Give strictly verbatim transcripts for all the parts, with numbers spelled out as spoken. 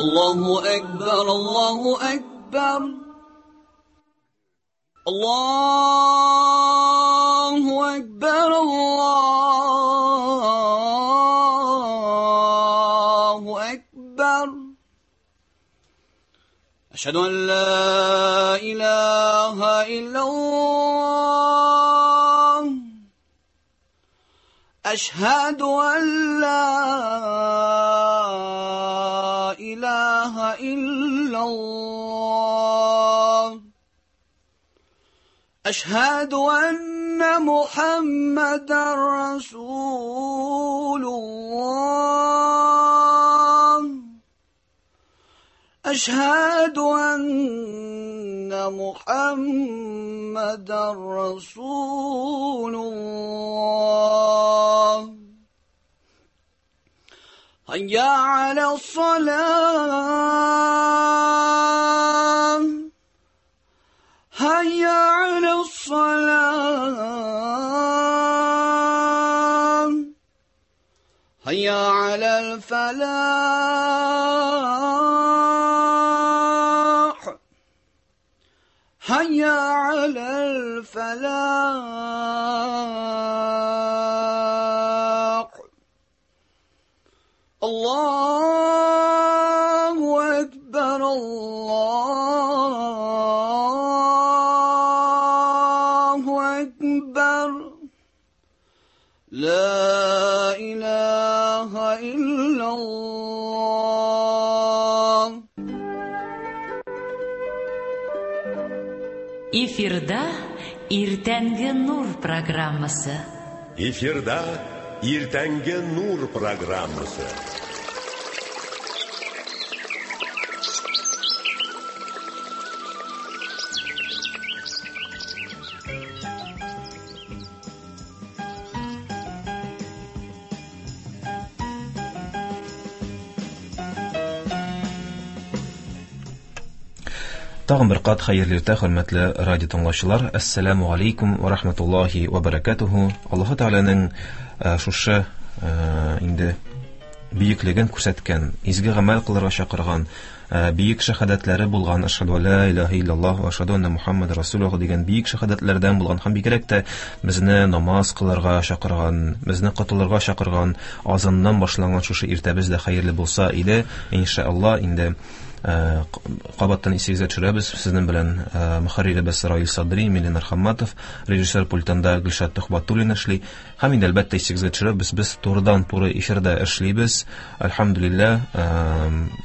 الله أكبر الله أكبر الله أكبر الله أكبر أشهد أن لا إله إلا الله أشهد أن لا إله إلا الله أشهد أن محمدا رسول الله أشهد أن محمدا رسول الله هيا على الصلاة هيا على الصلاة هيا على الفلاح هيا على الفلاح الله أكبر الله أكبر لا إله إلا الله. Эфирда Иртәнге Нур программасы. Эфирда Иртәнге Нур программасы. Тагын бер кат хәерле иртә, хөрмәтле радио тыңлаучылар. Ассаламу алейкум ва рахматуллахи ва баракатуху. Аллаһ Тәгаләнең шушы инде бөеклеген күрсәткән, изге гамәл кылырга чакырган, бөек шәһадәтләре булган Ашһаду ла илаһа иллаллаһ ва ашһаду анна Мухаммадар расулуллаһ дигән бөек шәһадәтләрдән булган һәм бигрәк тә безне намаз кылырга чакырган, безне котылырга чакырган азаннан башланган шушы иртәбез дә хәерле булса иде, иншаллаһ. Инде кабаттан исегезгә төшерәбез, сезнең белән мөхәрриребез Раил Садри, Милен Архаматов, режиссер пультында Гөлшат Төхбатуллина эшли. Һәм инде әлбәттә исегезгә төшерәбез, без турыдан-туры эфирда эшлибез. Әлхәмдүлилләһ,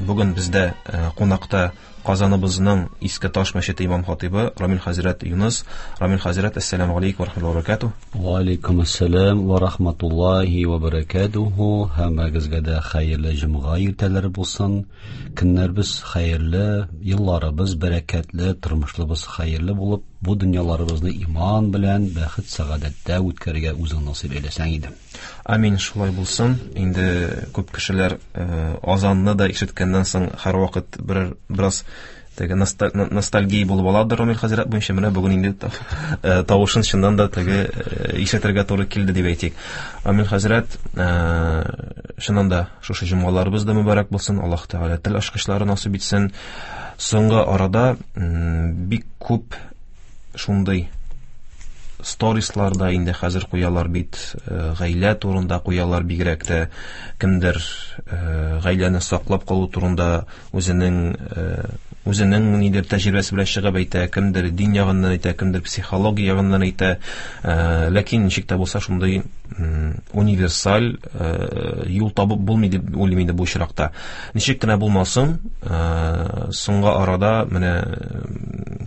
бүген бездә кунакта Казаныбызның Иске Таш мәчете имам хатибы Рамил хәзрәт Юныс. Рамил хәзрәт, ассаламу алейкум ва рахматуллаһи ва баракатуһ. Ва алейкум ассалам ва рахматуллаһи ва баракатуһ. Һәммәгезгә дә хәерле җомга иртәләре булсын. Көннәребез хәерле, елларыбыз бәрәкәтле, тормышларыбыз хәерле булып, бу дөньяларыбызны иман белән бәхет сәгадәттә үткәрергә үзең насыйп әйләсәң иде. Амин, шулай булсын. Инде күп кешеләр азанны да ишеткәннән соң һәрвакыт бер бераз теге ностальгия булып аладыр Рамил хәзрәт буенча. Менә бүген инде тавышын чыннан да теге ишетергә туры килде дип әйтик. Рамил хәзрәт, чыннан да шушы җомгаларыбыз да мөбарәк булсын. Аллаһ Тәгалә тел ачкычлары насыйп итсен. Соңгы арада бик күп шундый сторисларда инде хәзер куялар бит, гаилә турында куялар, бигрәк тә кемдер гаиләне саклап калу турында үзенең үзенең нидер тәҗрибәсе белән чыгып әйтә, кемдер дин ягыннан әйтә, кемдер психология ягыннан әйтә. Ләкин ничек тә булса шундый универсаль юл табып булмый дип уйлыйм инде бу очракта. Ничек кенә булмасын, соңгы арада менә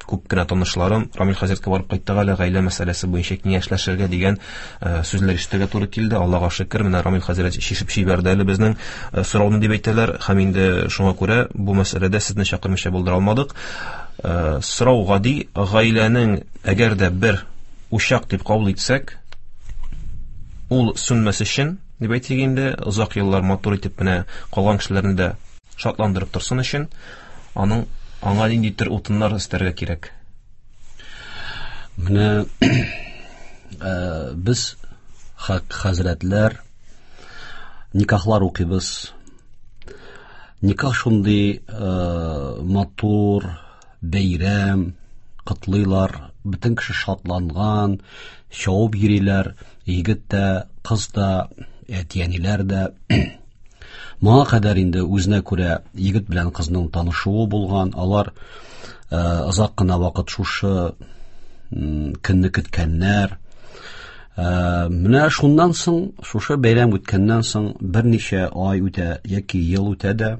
күп кенә танышларым Рамил хәзрәткә барып кайттык әле, гаилә мәсьәләсе буенча киңәшләшергә дигән сүзләр ишетергә туры килде. Аллаһка шөкер, менә Рамил хәзрәт чишеп җибәрде әле безнең сорауны дип әйтәләр. Һәм инде шуңа күрә бу мәсьәләдә сезне чакырмыйча булдыра алмадык. Сорау гади: гаиләнең әгәр дә бер учак дип кабул итсәк, ул сүнмәс өчен дип әйтик инде, озак еллар матур итеп менә калган кешеләрне дә шатландырып торсын өчен, аның аңа нинди төр утыннар өстәргә кирәк? Менә без хак хәзрәтләр никахлар укыйбыз. Никах шундый э, матур бәйрәм, котлыйлар, бөтен кеше шатланган, чабып йөриләр, егет тә, кыз да, әти-әниләр дә. Моңа кадәр инде үзенә күрә егет белән кызның танышуы булган, алар э, озак кына вакыт шушы м, көнне көткәннәр. Э, менә шуннан соң, шушы бәйрәм үткәннән соң берничә ай үтә яки ел үтә дә,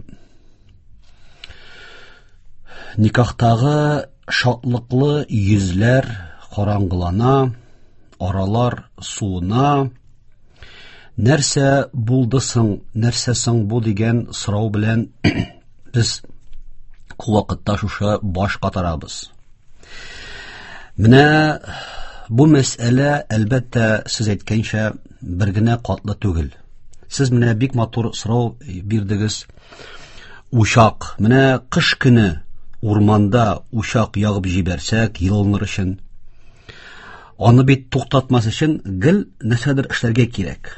никахтагы шатлыклы йөзләр караңгылана, аралар суына. Нәрсә булды соң, нәрсә соң бу дигән сорау белән без күп вакытта шушы баш катарабыз. Менә бу мәсьәлә, әлбәттә, сез әйткәнчә, бер генә катлы түгел. Сез менә бик матур сорау бирдегез. Учак. Менә кыш көне урманда учак ягып җибәрсәк, йылыныр өчен, аны бит туктатмас өчен гел нәрсәдер эшләргә кирәк.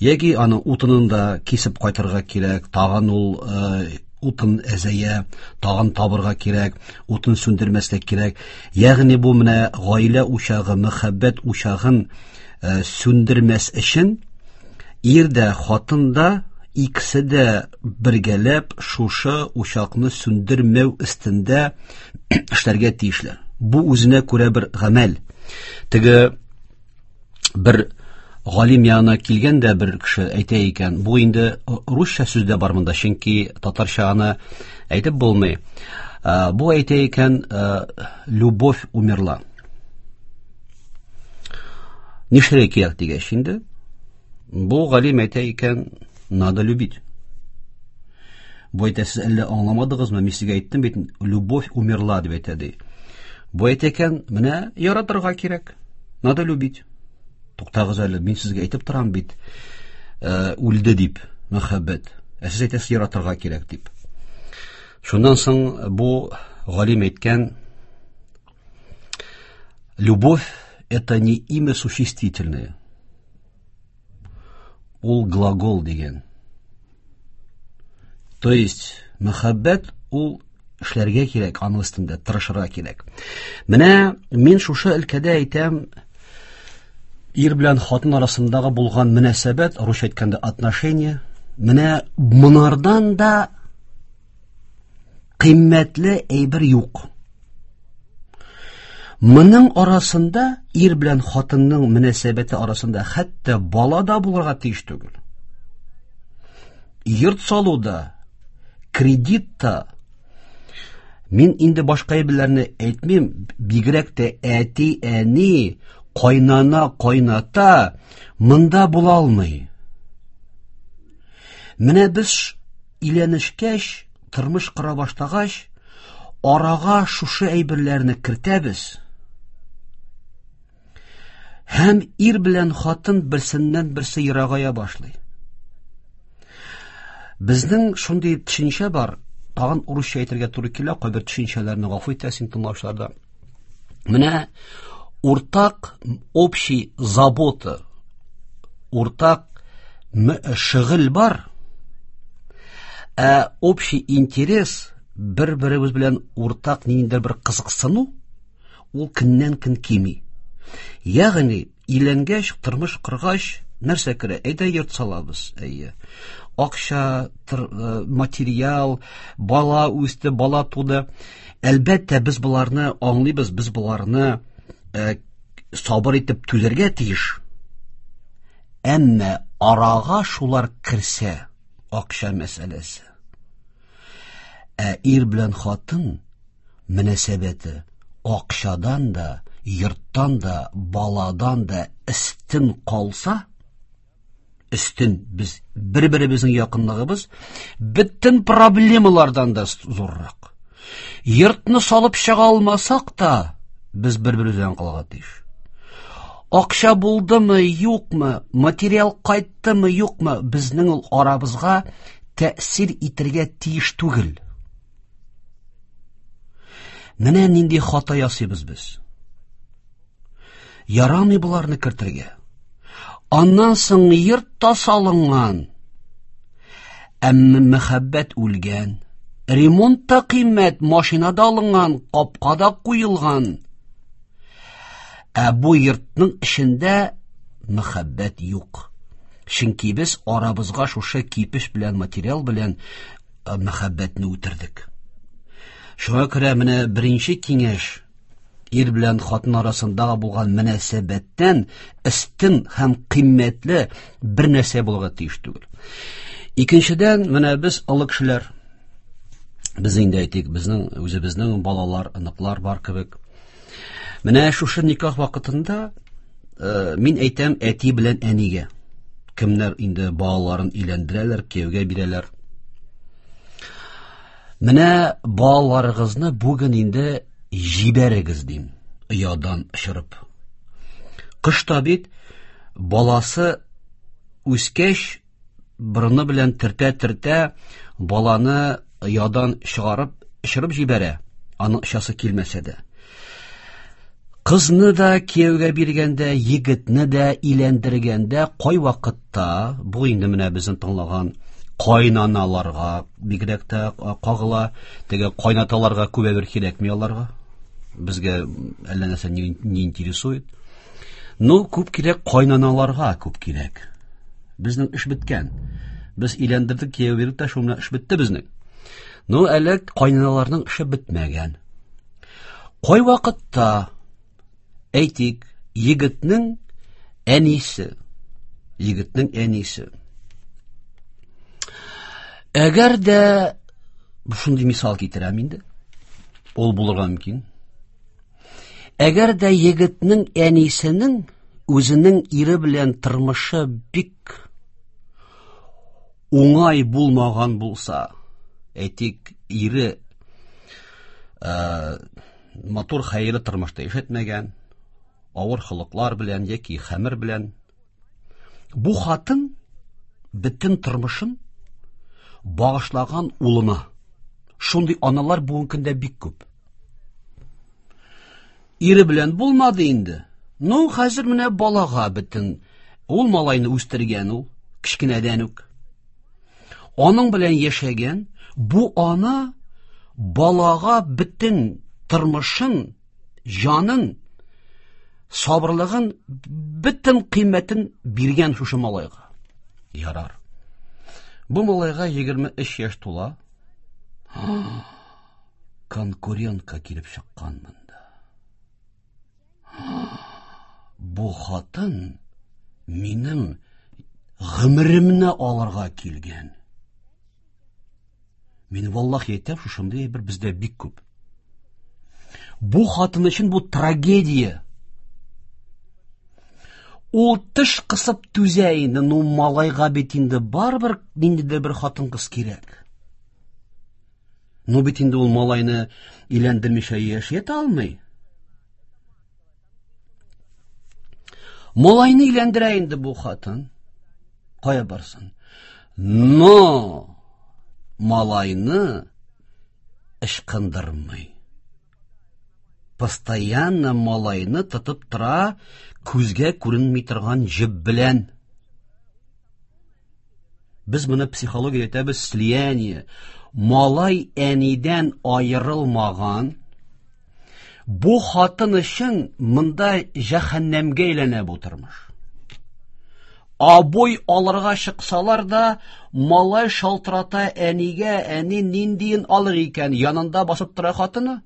Яки аны утынын да кисеп кайтырга кирәк, тагын ул, э, утын әзәя, тагын табырга кирәк, утын сүндермәскә кирәк. Ягъни бу менә гаилә учагы, мәхәббәт учагын, э, сүндермәс өчен ир дә, хатын да икесе дә бергәләп шушы учакны сүндермәү өстендә эшләргә тиешләр. Бу үзенә күрә бер гамәл. Теге бер галим янына килгән дә бер кеше әйтә икән, бу инде русча сүз дә бар монда, чөнки татарча аны әйтеп булмый. Э, бу әйтә икән, э, любовь умерла. Нишләргә кирәк дигәч инде, бу галим әйтә икән, надо любить. Бу әйтә, сез әллә аңламадыгызмы? Мин сезгә әйттем бит, любовь умерла дип әйтә ди. Бу әйтә икән, менә яратырга кирәк. Надо любить. Туктагыз әле, мин сезгә әйтеп торам бит, э, үлде дип, мәхәббәт. Ә сез әйтәсез яратырга кирәк дип. Шуннан соң бу галим әйткән, любовь это не имя существительное. Ул глагол дигән. То есть мәхәббәт ул эшләргә кирәк, аның өстендә тырышырга кирәк. Менә мин шушы өлкәдә әйтәм, ир белән хатын арасындагы булган мөнәсәбәт, русча әйткәндә отношения, менә монардан да кыйммәтле әйбер юк. Моның арасында ир белән хатынның мөнәсәбәте арасында хәтта бала да булырга тиеш түгел. Йорт салуда, кредит та, мин инде башка әйберләрне әйтмим, бигрәк тә әти, әни, кайнана, кайната монда була алмый. Менә без өйләнешкәч, тормыш кора башлагач, арага шушы әйберләрне кертәбез. Һәм ир белән хатын берсеннән берсе ерагая башлый. Безнең шундый төшенчә бар, тагын урысча әйтергә туры килә, кайбер төшенчәләрне гафу итәсең тыңлаучыларда. Менә уртак общий забота, уртак шөгыль бар, ә общий интерес, бер-беребез белән уртак ниндидер бер кызыксыну, ул көннән-көн кими. Ягъни, өйләнгәч, тормыш коргач, нәрсә керә? Әйдә йорт салабыз, әйе. Акча, тыр, э, материал, бала үсте, бала туды. Әлбәттә, без боларны аңлыйбыз, без боларны, э, сабыр итеп түзәргә тиеш. Әмма арага шулар керсә, акча мәсьәләсе. Ә ир белән хатын мөнәсәбәте акчадан да, йорттан да, баладан да өстен калса, өстен без бер-беребезнең якынлыгыбыз бөтен проблемалардан да зуррак. Йортны салып чыга алмасак та, без бер-беребездән калырга тиеш. Акча булдымы, юкмы, материал кайттымы, юкмы, безнең ул арабызга тәэсир итәргә тиеш түгел. Менә нинди хата ясыйбыз без. Ярамый боларны кертергә. Аннан соң йорт та салынган. Әмма мәхәббәт үлгән. Ремонт та кыйммәт, машина да алынган, капка да куелган. Ә бу йортның эчендә мәхәббәт юк. Чөнки без арабызга шушы кипеш белән, материал белән мәхәббәтне үтердек. Шуңа күрә менә беренче киңәш ир белән хатын арасындагы булган мөнәсәбәттән өстен һәм кыйммәтле бер нәрсә булырга тиеш түгел. Икенчедән, менә без олы кешеләр, без инде әйтик, безнең үзебезнең балалар, оныклар бар кебек. Менә шушы никах вакытында э, мин әйтәм әти белән әнигә, кемнәр инде балаларын өйләндерәләр, кияүгә бирәләр. Менә балаларыгызны бүген инде җибәрегез дим, оядан очырып. Кыш та бит баласы үскәч, борыны белән төртә-төртә баланы оядан чыгарып, очырып җибәрә, аның очасы килмәсә дә. Кызны да кияүгә биргәндә, егетне дә өйләндергәндә, кай вакытта, бу инде менә безне тыңлаган кайнаналарга бигрәк тә кагыла, теге кайнаталарга күп әйбер кирәкми аларга. Безгә әллә нәрсә не, не интересует. Ну, күп кирәк кайнаналарга, күп кирәк. Безнең эш беткән. Без өйләндердек, кияү бирдек тә, шул белән эш бетте безнең. Ну, әле кайнаналарның эше бетмәгән. Кай вакытта, әйтик, егетнең әнисе, егетнең әнисе. Әгәр дә шундый мисал китерәм инде, ул булырга мөмкин. Әгәр дә егетнең әнисенең үзенең ире белән тормышы бик уңай булмаган булса, әйтик, ире э, матур хәерле тормышта яшәтмәгән, авыр холыклар белән яки хәмер белән, бу хатын бөтен тормышын багышлаган улына. Шундый аналар бүгенге көндә бик күп. Ире белән булмады инде. Ну, хәзер менә балага бөтен ул малайны үстергән ул, кечкенәдән үк. Аның белән яшәгән бу ана балага бөтен тормышын, җанын, сабырлыгын, бөтен кыйммәтен биргән шушы малайга. Ярар. Бу малайга егерме өч яшь тула. Конкурентка килеп чыккан монда. Бу хатын минем гомеремне алырга килгән. Мин валлахи әйтәм, шушындый бер бездә бик күп. Бу хатын өчен бу трагедия. Ул теш кысып түзә инде, ну малайга бит инде барыбер ниндидер бер хатын-кыз кирәк. Ну бит инде ул малайны өйләндермичә яши алмый. Малайны өйләндерә инде бу хатын. Кая барсын? Но малайны ычкындырмый. Постоянно малайны тотып тора, күзгә күренми торган җеп белән. Без моны психология әйтәбез, слияние. Малай әнидән аерылмаган. Бу хатын өчен монда җәһәннәмгә әйләнә бу тормыш. Абой алырга чыксалар да, малай шалтырата әнигә, әни ниндиен алыр икән, янында басып тора хатыны.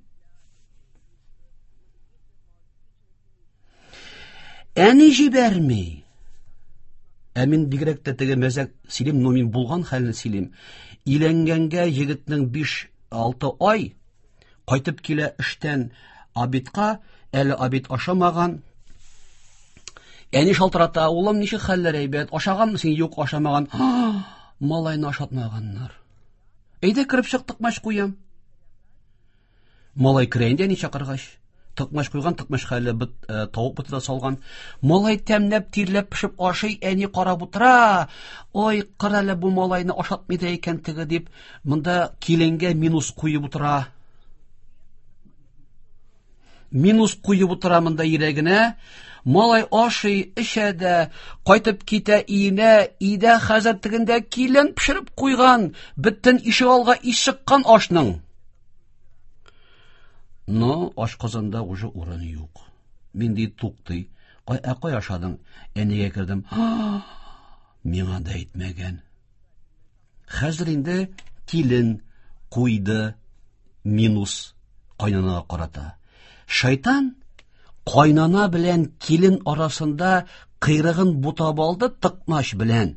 Әни җибәрми. Ә мин бигрәк тә теге мәзәк сөйлим, но мин булган хәлне сөйлим. Өйләнгәнгә егетнең биш-алты ай кайтып килә эштән обедка, әле обед ашамаган. Әни шалтырата, улым, ничек хәлләр әйбәт, ашаганмы син? Юк, ашамаган. Малайны ашатмаганнар. Әйдә кереп чык, тыкмач куям. Малай керә инде әни чакыргач. Тыкмач куйган, тыкмач хәле бит, э, тавык боты да салган. Малай тәмләп, тирләп пешеп ашый, әни карап утыра. Ой, кара әле бу малайны ашатмый да икән теге дип, монда киленгә минус куеп утыра. Минус куеп утыра монда йөрәгенә. Малай ашый, эчә дә, кайтып китә өенә, өйдә хәзер тегендә килен пешереп куйган, бөтен ишегалга ис чыккан ашның. Но ашказанда уже урын юк. Мин ди туктый. Кай, ә кай ашадың? Әнигә кердем. Миңа да әйтмәгән. Хәзер инде килен куйды минус кайнанага карата. Шайтан кайнана белән килен арасында кыйрыгын бутап алды тыкмач белән.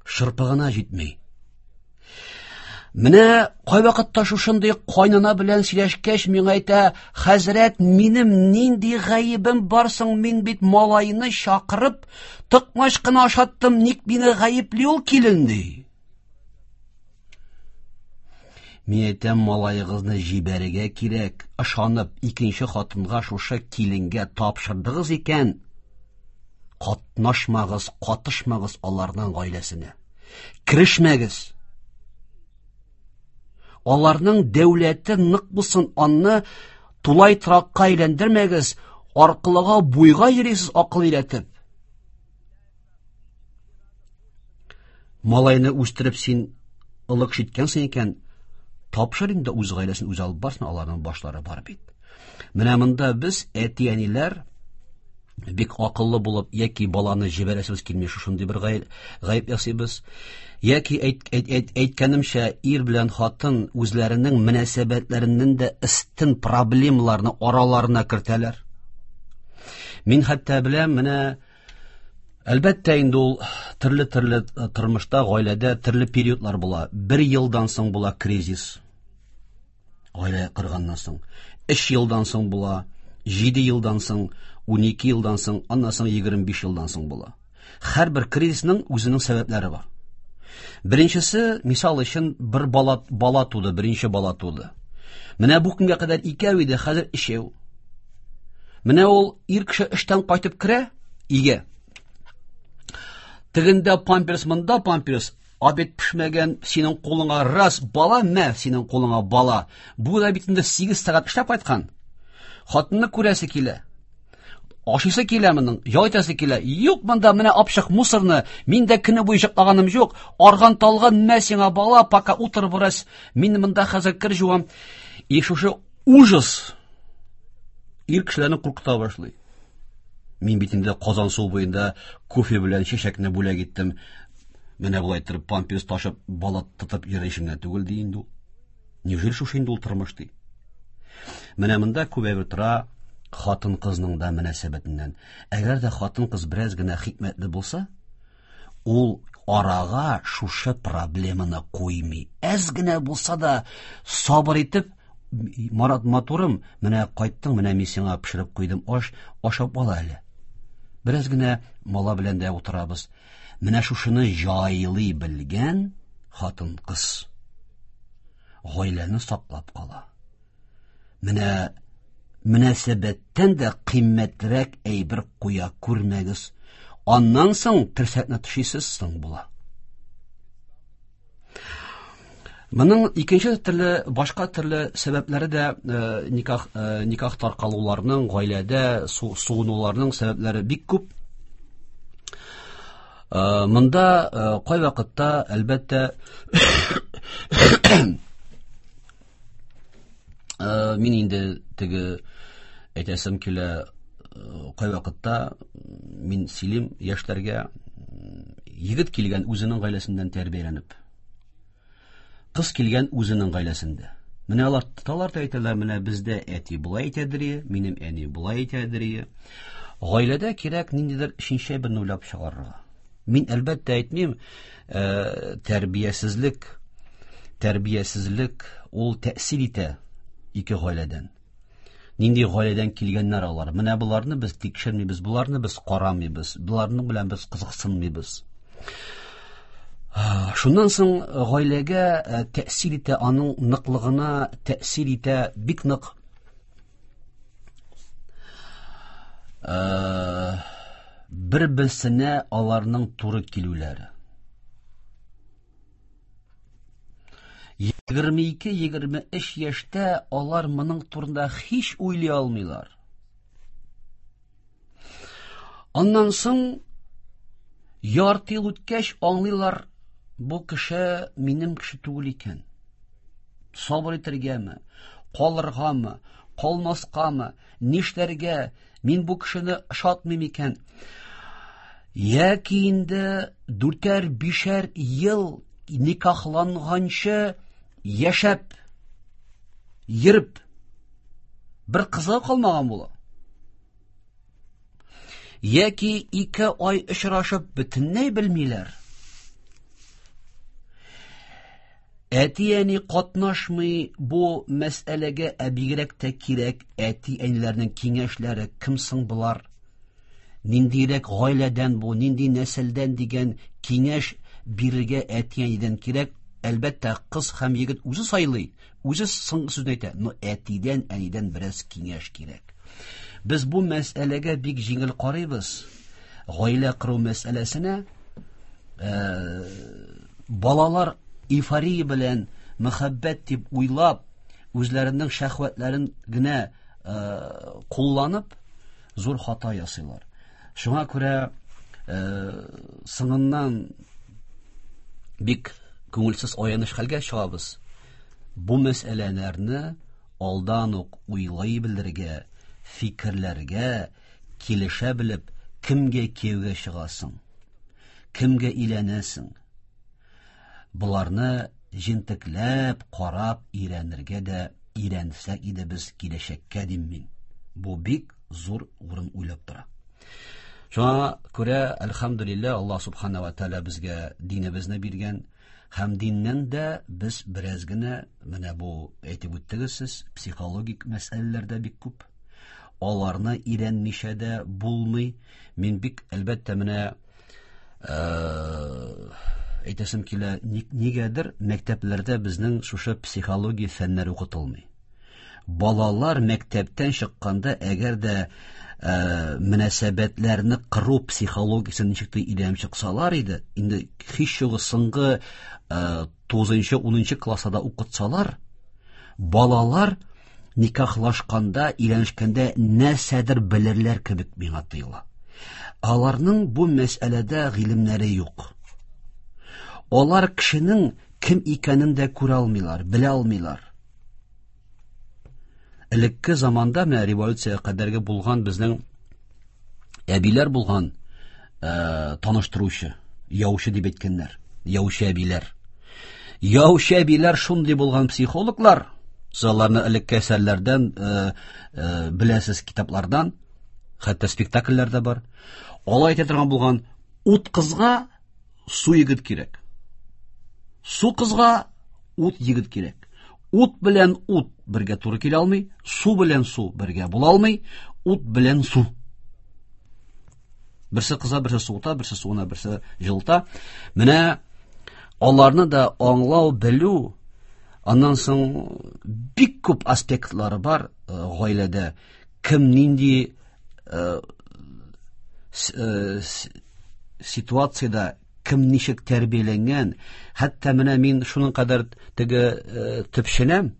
Шырпыгына җитми. Менә кайвакытта шушындый кайнана белән сөйләшкәч, миңа әйтә: "Хәзрәт, минем нинди гаебем бар соң? Мин бит малайны чакырып, тыкмач кына ашаттым, ник мине гаепли ул килен?" ди. Мин әйтәм, малаегызны җибәрергә кирәк. Ышанып, икенче хатынга шушы киленгә тапшырдыгыз икән, катнашмагыз, катышмагыз аларның гаиләсенә. Керешмәгез. Аларның дәүләте нык булсын, аны тулай торакка әйләндермәгез, аркылыга буйга йөрисез акыл өйрәтеп. Малайны үстереп син ылык җиткәнсең икән, тапшыр инде үз гаиләсен үзе алып барсын, аларның башлары бар бит. Менә монда без әти-әниләр бик акыллы булып, яки баланы җибәрәсебез килми, шушындый бер гаеп ясыйбыз, яки әйт, әйт, әйт, әйткәнемчә, ир белән хатын үзләренең мөнәсәбәтләреннән дә өстен проблемаларны араларына кертәләр. Мин хәтта беләм, менә әлбәттә инде ул төрле-төрле тормышта, гаиләдә төрле периодлар була. Бер елдан соң була кризис, гаилә кырганнан соң, өч елдан соң була, җиде елдан соң, унике елдан соң, аннан соң егерме биш елдан соң була. Һәрбер кризисның үзенең сәбәпләре бар. Беренчесе, мисал өчен, бер бала, бала туды, беренче бала туды. Менә бу көнгә кадәр икәү иде, хәзер өчәү. Менә ул ир кеше эштән кайтып керә өйгә. Тегендә памперс, монда памперс, обед пешмәгән, синең кулыңа раз бала, мә, синең кулыңа бала. Бу да бит инде сигез сәгать эшләп кайткан. Хатынны күрәсе килә. Ашыйсы килә моның, ял итәсе килә. Юк, монда менә апшык мусорны, мин дә көне буе йоклаганым юк. Арган талган, мә сиңа бала, пока утыр бераз. Мин монда хәзер кер жуам. И шушы ужас ир кешеләрне куркыта башлый. Мин бит инде Казан су буенда кофе белән чәчәкне бүләк иттем. Менә болай торып памперс ташып, бала тотып йөришемнән түгел ди инде ул. Неужели шушы инде ул тормыш ди? Менә монда күп әйбер тора хатын-кызның да мөнәсәбәтеннән. Әгәр дә хатын-кыз бераз генә хикмәтле булса, ул арага шушы проблеманы куймый. Әз генә булса да сабыр итеп, Марат матурым, менә кайттың, менә мин сиңа пешереп куйдым аш, ашап ал әле. Бераз генә мала белән дә утырабыз. Менә шушыны җайлый белгән хатын-кыз гаиләне саклап кала. Менә мөнәсәбәттән дә кыйммәтрәк әйбер куя күрмәгез. Аннан соң терсәкне төшисез соң була. Моның икенче төрле, башка төрле сәбәпләре дә э, никах, э, никах таркалуларның, гаиләдә су, суынуларның сәбәпләре бик күп. Э, монда э, кайвакытта, әлбәттә, э, мин инде теге әйтәсем килә, кайвакытта мин сөйлим яшьләргә, егет килгән үзенең гаиләсеннән тәрбияләнеп, кыз килгән үзенең гаиләсендә. Менә алар тоталар да әйтәләр, менә бездә әти болай әйтәдер, минем әни болай әйтәдер. Гаиләдә кирәк ниндидер өченче берне уйлап чыгарырга. Мин әлбәттә әйтмим, э, тәрбиясезлек, тәрбиясезлек ул тәэсир итә ике гаиләдән. Нинди гаиләдән килгәннәр алар? Менә боларны без тикшермибез, боларны без карамыйбыз, боларның белән без кызыксынмыйбыз. Шуннан соң гаиләгә тәэсир итә, аның ныклыгына тәэсир итә бик нык. Бер-берсенә аларның туры килүләре. Егерме ике, егерме өч яшьтә алар моның турында һич уйлый алмыйлар. Аннан соң ярты ел үткәч аңлыйлар, бу кеше минем кеше түгел икән. Сабыр итәргәме, калыргамы, калмаскамы, нишләргә, мин бу кешене ошатмыйм икән. Яки инде дүртәр, бишәр ел никахланганчы яшәп, йөреп, бер кызы калмаган була. Яки ике ай очрашып бөтенләй белмиләр. Әти-әни катнашмый бу мәсьәләгә, ә бигрәк тә кирәк әти-әниләрнең киңәшләре, кем соң болар? Ниндирәк гаиләдән бу, нинди нәселдән дигән киңәш бирергә әти-әнидән кирәк. Әлбәттә, кыз һәм егет үзе сайлый, үзе соңгы сүзне әйтә, но әтидән, әнидән бераз киңәш кирәк. Без бу мәсьәләгә бик җиңел карыйбыз. Гаилә кору мәсьәләсенә, э, балалар эйфория белән мәхәббәт дип уйлап, үзләренең шәһвәтләрен генә, э, кулланып, зур хата ясыйлар. Шуңа күрә, э, соңыннан бик күңелсез аяныч хәлгә чыгабыз. Бу мәсьәләләрне алдан ук уйлый белергә, фикерләргә, килешә белеп, кемгә кияүгә чыгасың, кемгә өйләнәсең. Боларны җентекләп карап өйрәнергә дә өйрәнсәк иде без киләчәккә, дим мин. Бу бик зур урын уйлап тора. Шуңа күрә, әлхәмдүлилләһ, Аллаһ субхана ва тааля безгә динебезне биргән, һәм диннән дә без бераз генә, менә бу әйтеп үттегез сез, психологик мәсьәләләр дә бик күп. Аларны өйрәнмичә дә булмый. Мин бик, әлбәттә, менә, э, әйтәсем килә, нигәдер мәктәпләрдә безнең шушы психология фәннәре укытылмый. Балалар мәктәптән чыкканда, әгәр дә, э, мөнәсәбәтләрне кору психологиясен ничек тә өйрәнеп чыксалар иде, инде һич югы соңгы, э, тугызынчы, унынчы класста да укытсалар, балалар никахлашканда, өйләнешкәндә нәрсәдер белерләр кебек миңа тоела. Аларның бу мәсьәләдә гыйлемнәре юк. Алар кешенең кем икәнен дә күрә алмыйлар, белә алмыйлар. Элекке заманда, менә революция кадәрге булган безнең әбиләр булган, э, таныштыручы, яучы дип әйткәннәр, яучы әбиләр. Яучы әбиләр шундый булган психологлар, сез аларны элекке әсәрләрдән, э, э, беләсез, китаплардан, хәтта спектакльләр дә бар. Алай әйтә торган булган, ут кызга су егет кирәк. Су кызга ут егет кирәк. Ут белән ут бергә туры килә алмый, су белән су бергә була алмый, ут белән су. Берсе кыза, берсе суыта, берсе суына, берсе җылыта. Менә аларны да аңлау, белү, аннан соң бик күп аспектлары бар, э, гаиләдә. Кем нинди, э, с-, э, с-, ситуациядә кем ничек тәрбияләнгән. Хәтта менә мин шуның кадәр теге, э, төпченәм.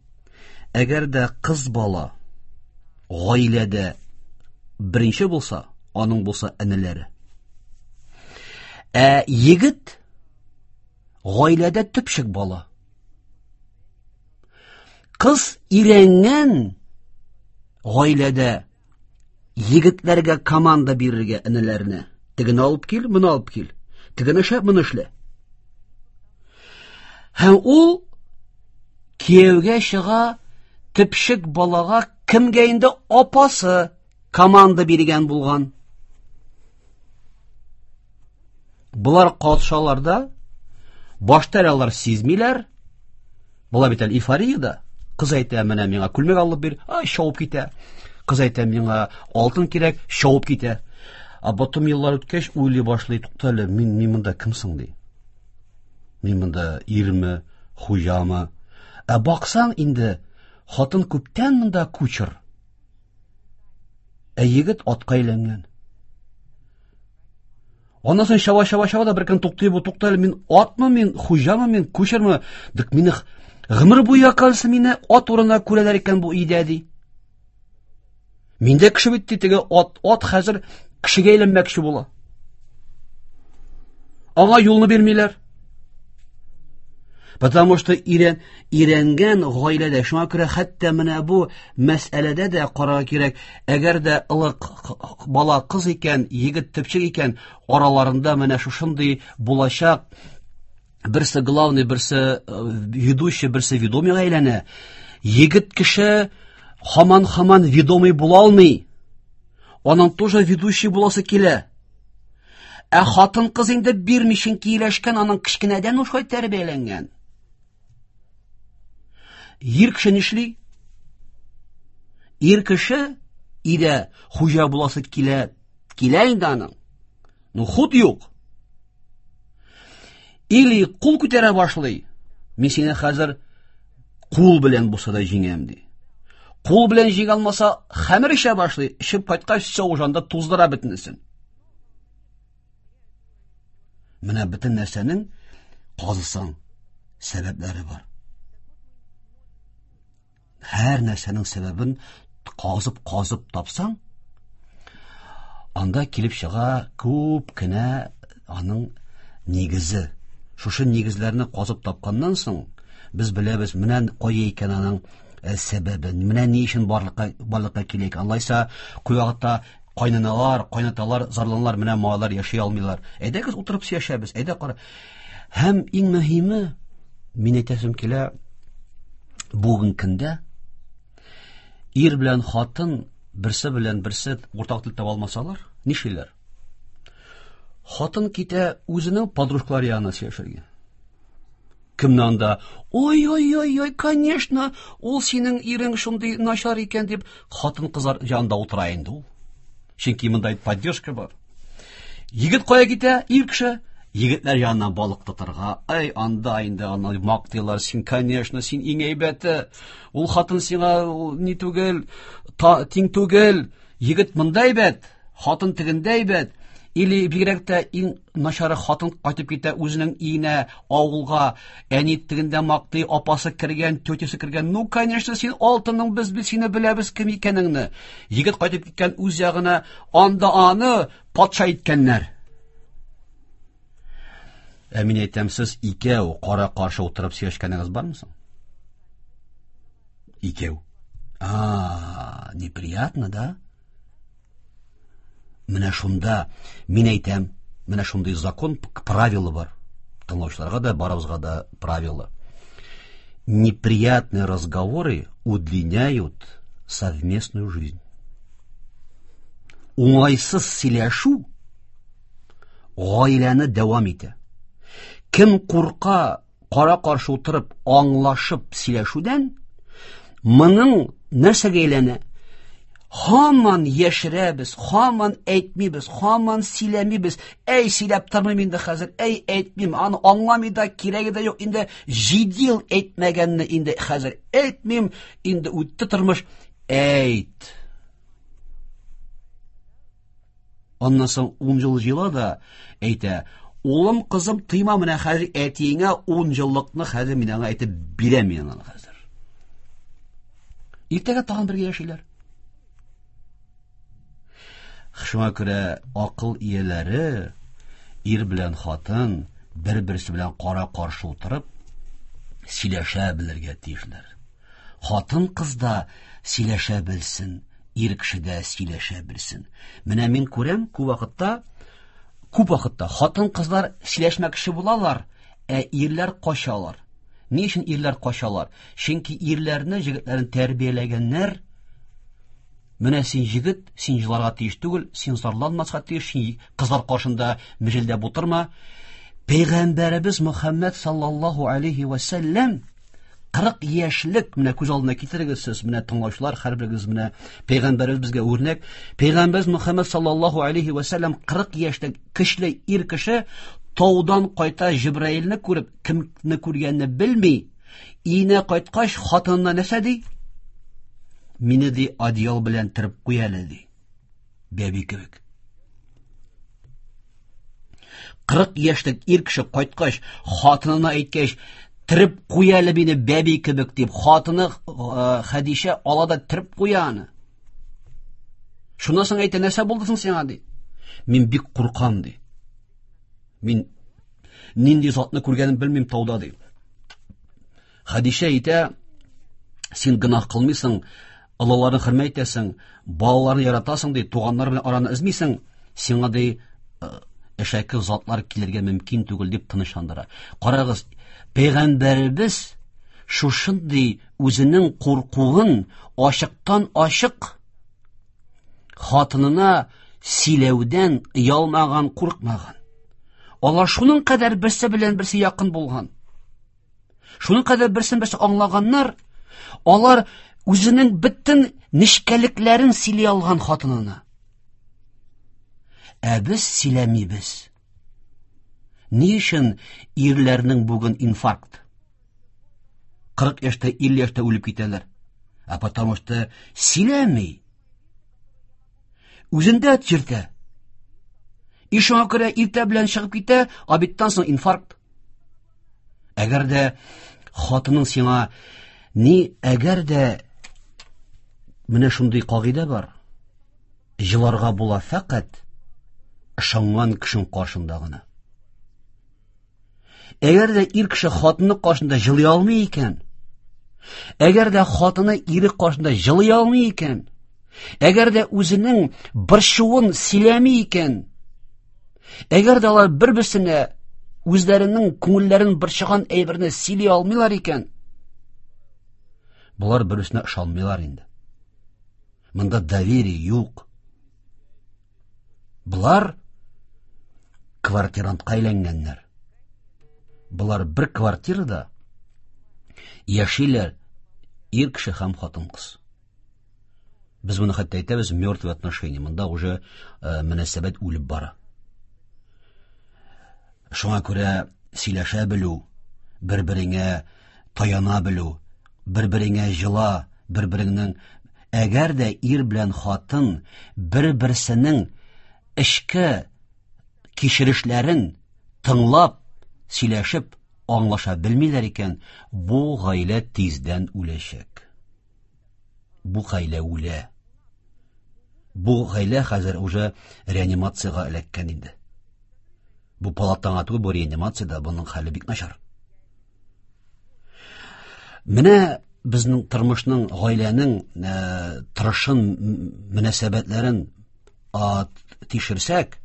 Әгәр дә кыз бала гаиләдә беренче булса, аның булса энеләре. Ә егет гаиләдә төпчек бала. Кыз өйрәнгән гаиләдә егетләргә команда бирергә энеләренә. Тегене алып кил, моны алып кил. Тегене эшлә, моны эшлә. Һәм ул кияүгә чыга, төпчек балага кемгә инде апасы команда биргән булган. Болар катшалар да, башта әле алар сизмиләр. Була бит әле эйфория да. Кыз әйтә, менә миңа күлмәк алып бир, ай, шауып китә. Кыз әйтә, миңа алтын кирәк, шауып китә. А потом еллар үткәч уйлый башлый, тукта әле, мин, мин монда кем соң ди? Мин монда ирме, хуҗамы? Ә баксаң инде хатын күптән монда кучер. Ә егет атка әйләнгән. Аннан соң чаба, чаба, чаба да бер көн туктый бу, тукта әле, мин атмы, мин хуҗамы, мин кучермы? Дик мине гомер буе, оказывается, мине ат урынына күрәләр икән бу өйдә ди. Мин дә кеше бит ди, теге ат, ат хәзер Кешегә әйләнмәкче була. Аңа юлны бирмиләр. Потому что ирен, иренгән гаиләдә, шуңа күрә хәтта менә бу мәсьәләдә дә карарга кирәк. Әгәр дә олы бала кыз икән, егет төпчек икән, араларында менә шушындый булачак берсе главный, берсе ведущий, берсе ведомыйга әйләнә. Егет кеше һаман-һаман ведомый була алмый. Аның тоже ведущий буласы килә. Ә хатын кыз инде бирми, чөнки ияләшкән, аның кечкенәдән шулай тәрбияләнгән. Ир кеше нишли? Ир кеше өйдә хуҗа буласы килә, килә инде аның. Ну хут юк. Или кул күтәрә башлый. Мин сине хәзер кул белән булса да җиңәм ди. Кул белән җиңә алмаса, хәмер эчә башлый. Эчеп кайткач, все уже анда туздыра бөтенесен. Менә бөтен нәрсәнең казысаң сәбәпләре бар. Һәр нәрсәнең сәбәбен казып-казып тапсаң, анда килеп чыга күп кенә аның нигезе. Шушы нигезләрне казып тапканнан соң, без беләбез, менә кая икән аның сәбәбе, менә ни өчен барлыкка, барлыкка килә икән. Алайса, күп вакытта кайнаналар, кайнаталар зарланалар, менә малайлар яши алмыйлар. Әйдәгез утырып сөйләшәбез, әйдә кара. Һәм иң мөһиме, мин әйтәсем килә, бүген көндә ир белән хатын берсе белән берсе уртак тел таба алмасалар, нишлиләр? Хатын китә үзенең подружкалары янына сөйләшергә. Кемне анда? Ой-ой-ой-ой, конечно, ул синең ирең шундый начар икән дип, хатын кызлар янында утыра инде ул. Чөнки монда поддержка бар. Егет кая китә? Ир кеше егетләр янына балык тотарга. Ай, анда инде аны мактыйлар. Син, конечно, син иң әйбәте. Ул хатын сиңа ни түгел, та, тиң түгел. Егет монда әйбәт, хатын тегендә әйбәт. Или бигрәк тә иң начары хатын кайтып китә үзенең өенә, авылга, әни тегендә мактый, апасы кергән, тетясы кергән. Ну, конечно, син алтының, без без сине беләбез кем икәнеңне. Егет кайтып киткән үз ягына, анда аны патша иткәннәр. Ә мин әйтәм, сез икәү кара-каршы утырып сөйләшкәнегез бармы соң? Икәү. А, неприятно, да? Менә шунда мин әйтәм, менә шундый закон, правила бар. Тыңлаучыларга да, барыбызга да правила. Неприятные разговоры удлиняют совместную жизнь. Уңайсыз сөйләшү гаиләне дәвам итә. Кем курка кара-каршы утырып, аңлашып сөйләшүдән, моның нәрсәгә әйләнә? Һаман яшерәбез, һаман әйтмибез, һаман сөйләмибез. Әй, сөйләп тормыйм инде хәзер, әй, әйтмим, аны аңламый да, кирәге дә юк. Инде җиде ел әйтмәгәнне инде хәзер әйтмим, инде үтте тормыш. Әйт. Аннан соң ун ел җыела да әйтә, улым, кызым, тыйма менә хәзер әтиеңә ун еллыкны хәзер мин аңа әйтеп бирәм мин аны хәзер. Иртәгә тагын бергә яшиләр. Шуңа күрә акыл ияләре ир белән хатын бер-берсе белән кара-каршы утырып сөйләшә белергә тиешләр. Хатын кыз да сөйләшә белсен, ир кеше дә сөйләшә белсен. Менә мин күрәм, күп вакытта, күп вакытта хатын кызлар сөйләшмәкче булалар, ә ирләр качалар. Ни өчен ирләр качалар? Чөнки ирләрне, егетләрен тәрбияләгәннәр. Менә син егет, син җыларга тиеш түгел, син зарланмаска тиеш, син кызлар каршында мөҗелдәп утырма. Пәйгамбәребез Мөхәммәд саллаллаһу алейхи ва сәлләм кырык яшьлек, менә күз алдына китерегез сез, менә тыңлаучылар, һәрберегез менә пәйгамбәребез безгә үрнәк. Пәйгамбәребез Мөхәммәд саллаллаһу алейхи ва сәлләм кырык яшьлек көчле ир кеше таудан кайта Җибраилне күреп, кемне күргәнне белми, өенә кайткач хатынына нәрсә ди? Мине ди одеял белән төреп куй әле ди. Бәби кебек. Кырык яшьлек ир кеше кайткач, хатынына әйткәч, төреп куй әле мине бәби кебек дип, хатыны Хәдичә ала да төреп куя аны. Шуннан соң әйтә, нәрсә булды соң сиңа ди? Мин бик куркам, ди. Мин нинди затны күргәнен белмим тауда, ди. Хәдичә әйтә, син гөнаһ кылмыйсың, олыларны хөрмәт итәсең, балаларны яратасың, ди, туганнар белән араны өзмисең, сиңа, ди, әшәке затлар килергә мөмкин түгел, дип тынычландыра. Карагыз, пәйгамбәребез шушындый үзенең куркуын ачыктан ачык хатынына сөйләүдән оялмаган, куркмаган. Алар шуның кадәр берсе белән берсе якын булган. Шуның кадәр берсен берсе аңлаганнар, алар үзенең бөтен нечкәлекләрен сөйли алган хатынына. Ә без сөйләмибез. Ни өчен ирләрнең бүген инфаркт? Кырык яшьтә, илле яшьтә үлеп китәләр. А потому что сөйләми. Үзендә чиртә. И шуңа күрә иртә белән чыгып китә, обедтан соң инфаркт. Әгәр дә хатының сиңа ни, әгәр дә менә шундый кагыйдә бар. Җыларга була фәкать ышанган кешенең каршында гына. Әгәр дә ир кеше хатыны каршында җылый алмый икән, әгәр дә хатыны ире каршында җылый алмый икән, әгәр дә үзенең борчуын сөйләми икән, әгәр дә алар бер-берсенә үзләренең күңелләрен борчыган әйберне сөйли алмыйлар икән, болар бер-берсенә ышанмыйлар инде. Монда доверие юк. Болар квартирантка әйләнгәннәр. Болар бер квартирада яшиләр ир кеше һәм хатын-кыз. Без моны хәтта әйтәбез мертвые отношения. Монда уже э, мөнәсәбәт үлеп бара. Шуңа күрә сөйләшә белү, бер-береңә таяна белү, бер-береңә җыла, бер-береңнең әгәр дә ир белән хатын бер-берсенең эчке кичерешләрен тыңлап, сөйләшеп, аңлаша белмиләр икән, бу гаилә тиздән үләчәк. Бу гаилә үлә. Бу гаилә хәзер уже реанимациягә эләккән инде. Бу палатага түгел, бу реанимациядә, буның хәле бик начар. Менә безнең тормышның, гаиләнең э, торышын, мөнәсәбәтләрен тикшерсәк,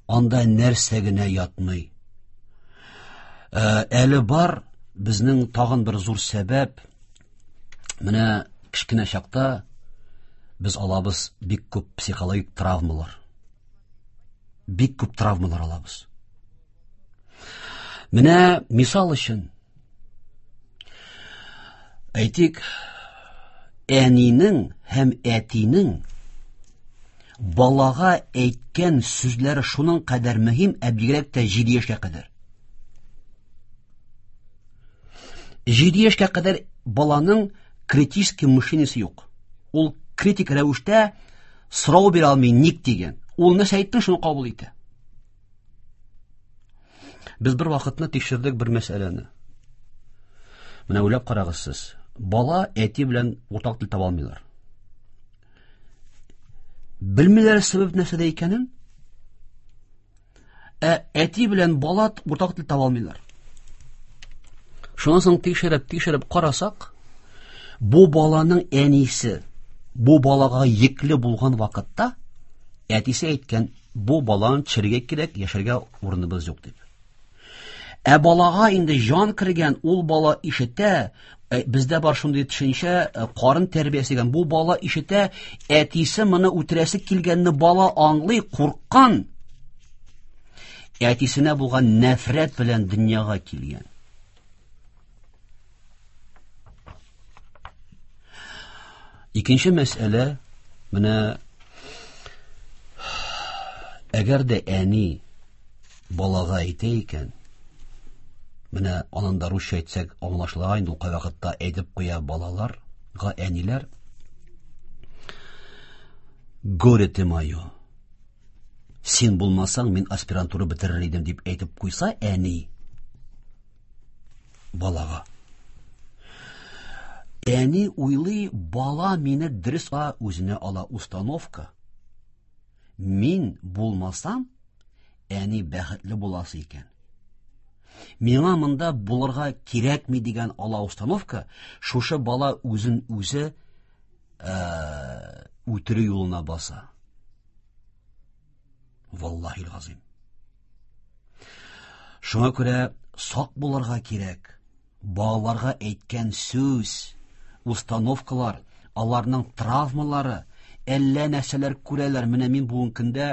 анда нәрсә генә ятмый. Э, әле бар безнең тагын бер зур сәбәп. Менә кечкенә чакта без алабыз бик күп психологик травмалар. Бик күп травмалар алабыз. Менә мисал өчен әйтик, әнинең һәм әтинең балага әйткән сүзләре шуның кадәр мөһим, ә бигрәк тә җиде яшькә кадәр. Җиде яшькә кадәр баланың критический мышлениесе юк. Ул критик рәвештә сорау бирә алмый, ник дигән. Ул нәрсә әйттең, шуны кабул итә. Без бер вакытны тикшердек бер мәсьәләне. Менә уйлап карагыз сез. Бала әти белән уртак тел таба алмыйлар. Белмиләр сәбәп нәрсәдә икәнен. Ә әти белән бала уртак тел таба алмыйлар. Шуннан соң тикшереп, тикшереп карасак, бу баланың әнисе бу балага йөкле булган вакытта әтисе әйткән, бу баланы төшерергә кирәк, яшәргә урыныбыз юк дип. Ә балага инде җан кергән, ул бала ишетә, бездә бар шундый төшенчә, карын тәрбиясе дигән, бу бала ишетә, әтисе моны үтерәсе килгәнне бала аңлый, курккан. Әтисенә булган нәфрәт белән дөньяга килгән. Икенче мәсьәлә, менә әгәр дә әни балага әйтә икән, менә анын да русча әйтсәк аңлашыла инде, ул кайвакытта әйтеп куя балаларга әниләр. Горе ты мое, син булмасаң, мин аспирантура бетерер идем дип әйтеп куйса әни балага. Әни уйлый, бала мине дөрес үзенә ала установка. Мин булмасам, әни бәхетле буласы икән. Миңа монда булырга кирәкми дигән ала установка, шушы бала үзен үзе үтерү юлына баса. Валлахил газим. Шуңа күрә сак булырга кирәк. Балаларга әйткән сүз, установкалар, аларның травмалары, әллә нәрсәләр күрәләр. Менә мин бүгенге көндә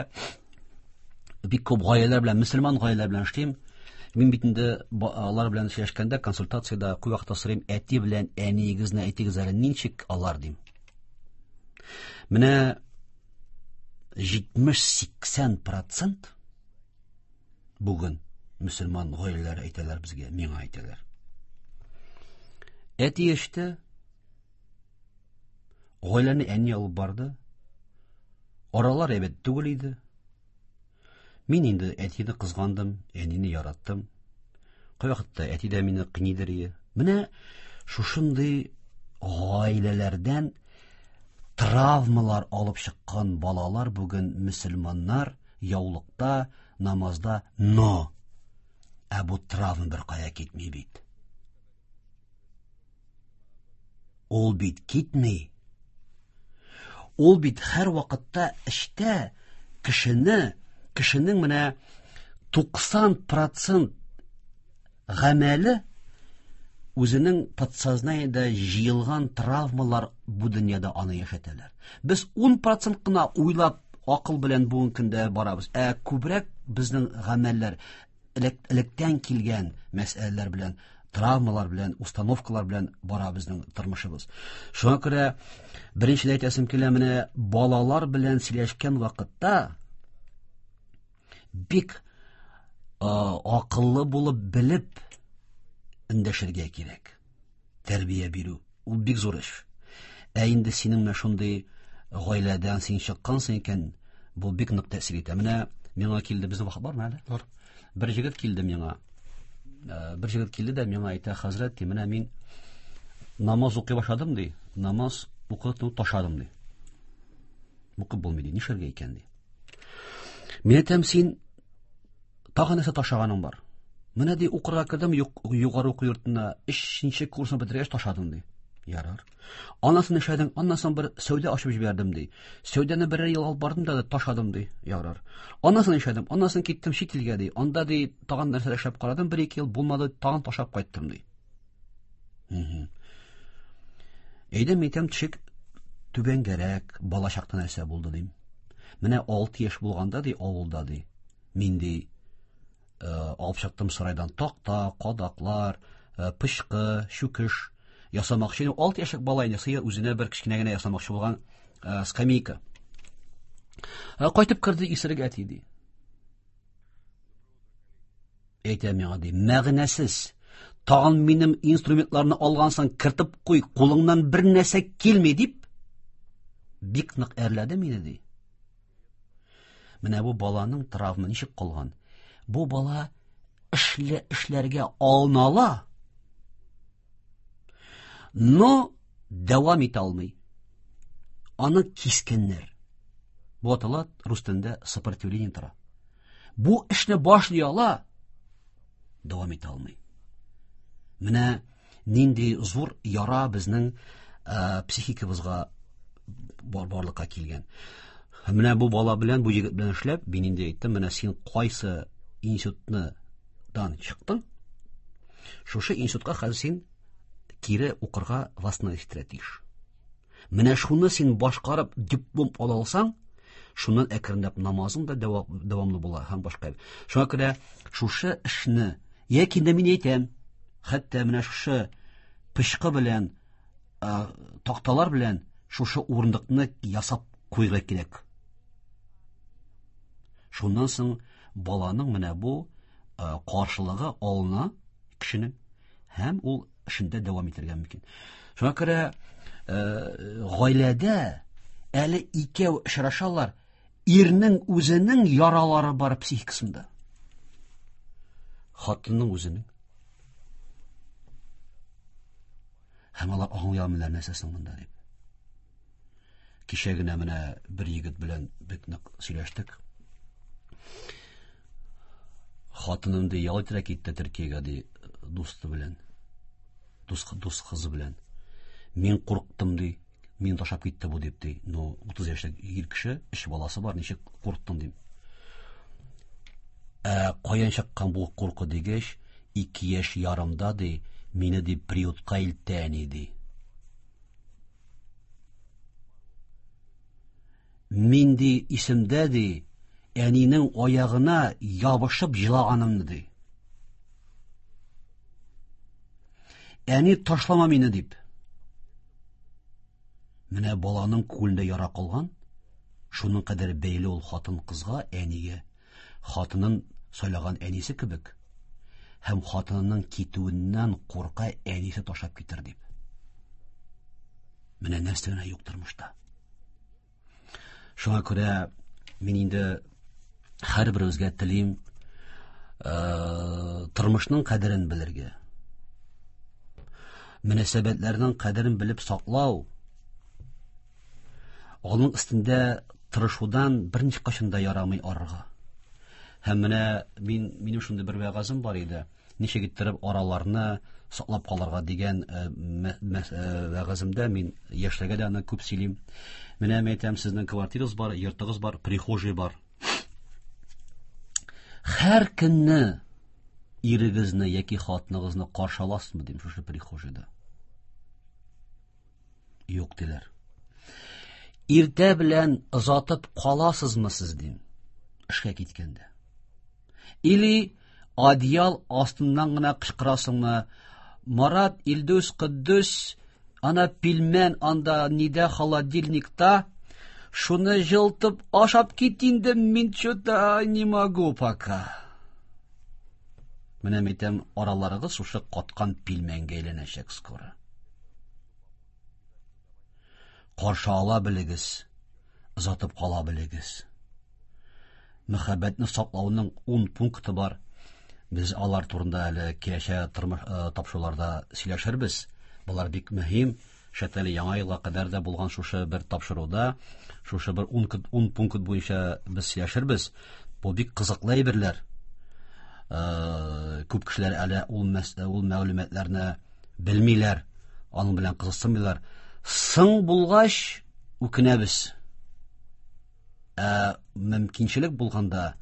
бик күп гаиләләр белән, мөселман гаиләләр белән эшлим. Мин бит инде алар белән сөйләшкәндә консультацияда күп вакытта сорыйм, әти белән әниегезне әйтегез әле, ничек алар дим. Менә җитмеш-сиксән процент бүген мөселман гаиләләре әйтәләр безгә, миңа әйтәләр. Әти эште, гаиләне әни алып барды. Аралар әйбәт түгел иде. Мин инде әтине кызгандым, әнине яраттым. Кайвакытта әти дә мине кыйныйдыр иде. Менә шушындый гаиләләрдән травмалар алып чыккан балалар бүген мөселманнар яулыкта, намазда, но ә бу травма бер кая китми бит. Ул бит китми. Ул бит һәр вакытта эштә кешене, кешенең менә туксан процент гамәле үзенең подсознаниедә җыелган травмалар бу дөньяда аны яшәтәләр. Без ун процент кына уйлап акыл белән бүгенге көндә барабыз. Ә күбрәк безнең гамәлләр электән килгән мәсьәләләр белән, травмалар белән, установкалар белән бара безнең тормышыбыз. Шуңа күрә беренчедән әйтәсем килә, менә балалар белән сөйләшкән вакытта бик акыллы булып белеп эндәшергә кирәк. Тәрбия бирү ул бик зур эш. Ә инде синең менә шундый гаиләдән син чыккансың икән, бу бик нык тәэсир итә. Менә миңа килде, безнең вакыт бармы әле? Бар. Бер егет килде миңа. Бер егет килде дә миңа әйтә, хәзрәт, ди, менә мин намаз укый башладым, ди. Намаз укыту ташладым, ди. Укып булмый, ди. Нишләргә икән, ди. Мин әйтәм, син тагы нәрсә ташлаганың бар? Менә ди, укырга кердем, югары уку йортына, өченче курсны бетергәч ташладым, ди. Ярар. Аннан эшләдем, аннан соң бер сәүдә ачып җибәрдем, ди. Сәүдәне берәр ел алып бардым да ташладым, ди. Ярар. Аннан соң эшләдем, аннан соң киттем чит илгә, ди. Анда ди тагын нәрсә эшләп карадым, бер-ике ел булмады, тагын ташлап кайттым, ди. Әйдә, мин әйтәм, төшек түбәнгәрәк, бала чакта нәрсә булды, дим. Менә алты яшь булганда, ди, авылда, ди. Мин ди алып чыктым сарайдан такта, кадаклар, пычкы, чүкеш ясамакчы. Алты яшьлек бала инде сыер үзенә бер кечкенә генә ясамакчы булган скамейка. Кайтып керде исерек әти, ди. Әйтә миңа, ди, мәгънәсез. Тагын минем инструментларны алгансың, кертеп куй, кулыңнан бер нәрсә килми, дип бик нык әрләде мине, ди. Менә бу баланың травма ничек калган? Бу бала эшле эшләргә алына ала, но дәвам итә алмый. Аны кискәннәр. Бу атала рус телендә сопротивление тора. Бу эшне башлый ала, дәвам итә алмый. Менә нинди зур яра безнең ә, психикабызга бар, барлыкка килгән. Менә бу бала белән, бу егет белән эшләп, мин инде әйттем, менә син кайсы институтны дан чыктың, шушы институтка хәзер син кире укырга восстановить тиеш. Менә шуны син башкарып диплом ала алсаң, шуннан әкренләп намазың да дәвамлы була һәм башка. Шуңа күрә шушы эшне, яки инде мин әйтәм, хәтта менә шушы пычкы белән, такталар белән шушы урындыкны ясап куйга кирәк. Шуннан соң баланың менә бу каршылыгы алына кешенең һәм ул эшендә дәвам итәргә мөмкин. Шуңа күрә гаиләдә әле икәү очрашалар, ирнең үзенең яралары бар психикасында. Хатынның үзенең. Һәм алар аңлый алмыйлар нәрсә соң монда дип. Кичә генә менә бер егет белән бик нык сөйләштек. Хатыным ди ял итәргә китте Төркиягә ди, дусты белән. Дус дус кызы белән. Мин курктым ди. Мин ташлап китте бу дип ди. Ну, утыз яшьлек ир кеше, өч баласы бар, ничек курктың дим. Ә каян чыккан бу курку дигәч, ике яшь ярымда ди, мине ди приютка илтте әни ди. Мин ди исемдә ди, әнинең аягына ябышып җылаганымны ди. Әни ташлама мине дип. Менә баланың күңелендә яра калган, шуның кадәр бәйле ул хатын кызга, әнигә. Хатынын сайлаган әнисе кебек. Һәм хатынының китүеннән курка әнисе ташлап китер дип. Менә нәрсә генә юк тормышта. Шуңа күрә мин инде һәрберебезгә телим, э, тормышның кадерен белергә. Мөнәсәбәтләрнең кадерен белеп саклау, аның өстендә тырышудан берничә кашын да ярамый арырга. Һәм менә мин, минем шундый бер вәгазем бар иде. Ничек иттереп араларны саклап калырга дигән, э, э, вәгаземдә мин яшьләргә дә аны күп сөйлим. Менә мин әйтәм, сезнең квартирагыз бар, йортыгыз бар, прихожий бар. Һәр көнне ирегезне яки хатыныгызны каршы аласызмы дим шушы прихожийда? Юк диләр. Иртә белән озатып каласызмы сез дим, эшкә киткәндә? Или одеял астыннан гына кычкырасыңмы? Марат, Илдус, Кыддус, ана пилмән анда нидә холодильникта, шуны җылтып ашап кит инде, мин чё-то не могу пока. Менә әйтәм, араларыгыз шушы каткан пилмәнгә әйләнәчәк скоро. Каршы ала белегез, озатып кала белегез. Мәхәббәтне саклауның ун пункты бар. Без алар турында әле киләчәк тормыш, э, тапшыруларда сөйләшербез. Булар бик мөһим. Шәтәле яңа елга кадәр дә булган шушы бер тапшыруда, шушы бер ун, ун пункт буенча без сөйләшербез. Бу бик кызыклы әйберләр. Э, күп кешеләр әле ул мәс-, ул мәгълүматларны белмиләр, аның белән кызыксынмыйлар. Соң булгач үкенәбез. Ә мөмкинчелек булганда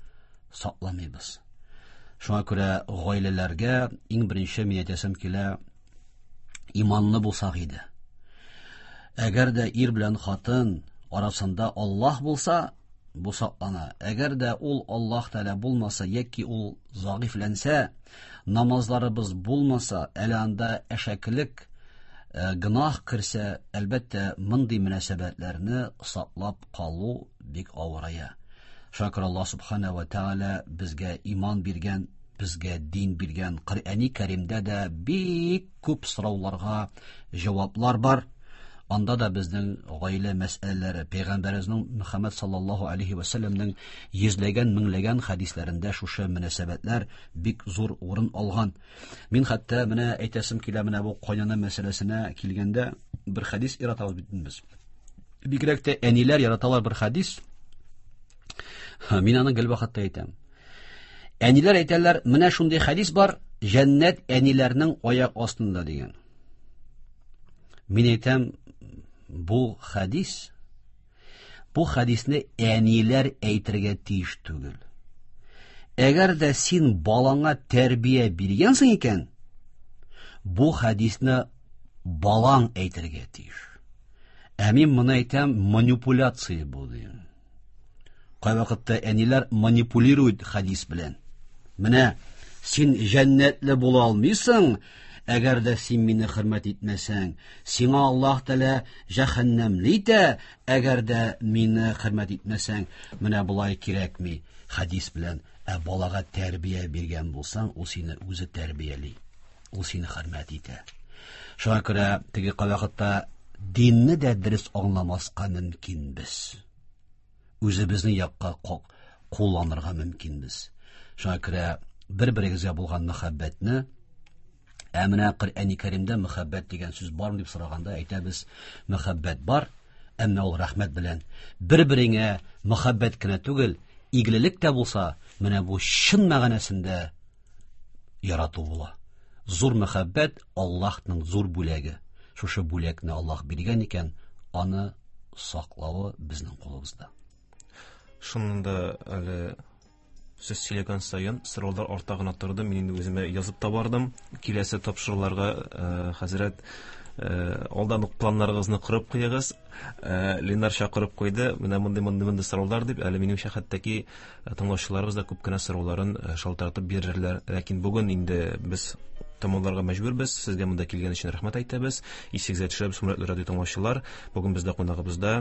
сакламыйбыз. Шуңа күрә гаиләләргә иң беренче мин әйтәсем килә, иманлы булсак иде. Әгәр дә ир белән хатын арасында Аллаһ булса, бу саклана. Әгәр дә ул Аллаһ Тәгалә булмаса яки ул зәгыйфьләнсә, намазларыбыз булмаса, әле анда әшәкелек, э, гөнаһ керсә, әлбәттә, мондый мөнәсәбәтләрне саклап калу бик авырая. Шуңа күрә Аллаһ Субхана ва Тәгалә безгә иман биргән, безгә дин биргән. Коръәни Кәримдә дә бик күп сорауларга җаваплар бар. Анда да безнең гаилә мәсьәләләре, Пәйгамбәребезнең Мөхәммәд саллаллаһу алейхи ва сәлләмнең йөзләгән, меңләгән хәдисләрендә шушы мөнәсәбәтләр бик зур урын алган. Мин хәтта менә әйтәсем килә, менә бу кайнана мәсьәләсенә килгәндә бер хәдис яратабыз бит без. Бигрәк тә әниләр яраталар бер хәдис. Мин аны гел вакытта әйтәм. Әниләр әйтәләр, менә шундый хәдис бар, җәннәт әниләрнең аяк астында дигән. Мин әйтәм, бу хәдис, бу хәдисне әниләр әйтергә тиеш түгел. Әгәр дә син балаңа тәрбия биргәнсең икән, бу хәдисне балаң әйтергә тиеш. Ә мин моны әйтәм, манипуляция бу дим. Кайвакытта әниләр манипулирует хәдис белән. Менә син җәннәтле була алмыйсың, әгәр дә син мине хөрмәт итмәсәң, сиңа Аллаһ Тәгалә җәһәннәмле итә, әгәр дә мине хөрмәт итмәсәң, менә болай кирәкми хәдис белән. Ә балага тәрбия биргән булсаң, ул сине үзе тәрбияли, ул сине хөрмәт итә. Шуңа күрә теге кайвакытта динне дә дөрес аңламаска мөмкинбез. Үзебезнең якка ко-, кулланырга мөмкинбез. Шуңа күрә бер-берегезгә булган мәхәббәтне, ә менә Коръәни Кәримдә мәхәббәт дигән сүз бармы дип сораганда әйтәбез, мәхәббәт бар, Әмма ул рәхмәт белән бер-береңә мәхәббәт кенә түгел, игелек тә булса, менә бу чын мәгънәсендә ярату була. Зур мәхәббәт Аллаһның зур бүләге. Шушы бүләкне Аллаһ биргән икән, аны саклавы безнең кулыбызда. Шуннан да әле сез сөйләгән саен сораулар арта гына торды. Мин инде үземә язып та бардым. Киләсе тапшыруларга э, хәзрәт э, алдан ук планнарыгызны корып куегыз. Э, Ленар чакырып куйды. Менә мондый мондый мондый сораулар дип, әле минемчә хәтта ки тыңлаучыларыбыз да күп кенә сорауларын э, шалтыратып бирерләр. Ләкин бүген инде без тәмамларга мәҗбүрбез. Сезгә монда килгән өчен рәхмәт әйтәбез. Исегезгә төшерәбез, хөрмәтле радио тыңлаучылар. Бүген бездә кунагыбызда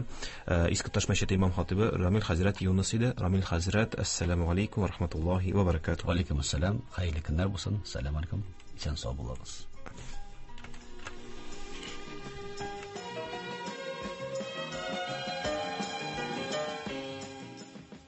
э, Иске Таш мәчете имам хатибы Рамил хәзрәт Юныс иде. Рамил хәзрәт, ассаламу алейкум ва рахматуллаһи ва баракатуһ. Ва алейкум ассалам. Хәерле көннәр булсын. Сәлам алейкум. Исән сау булыгыз.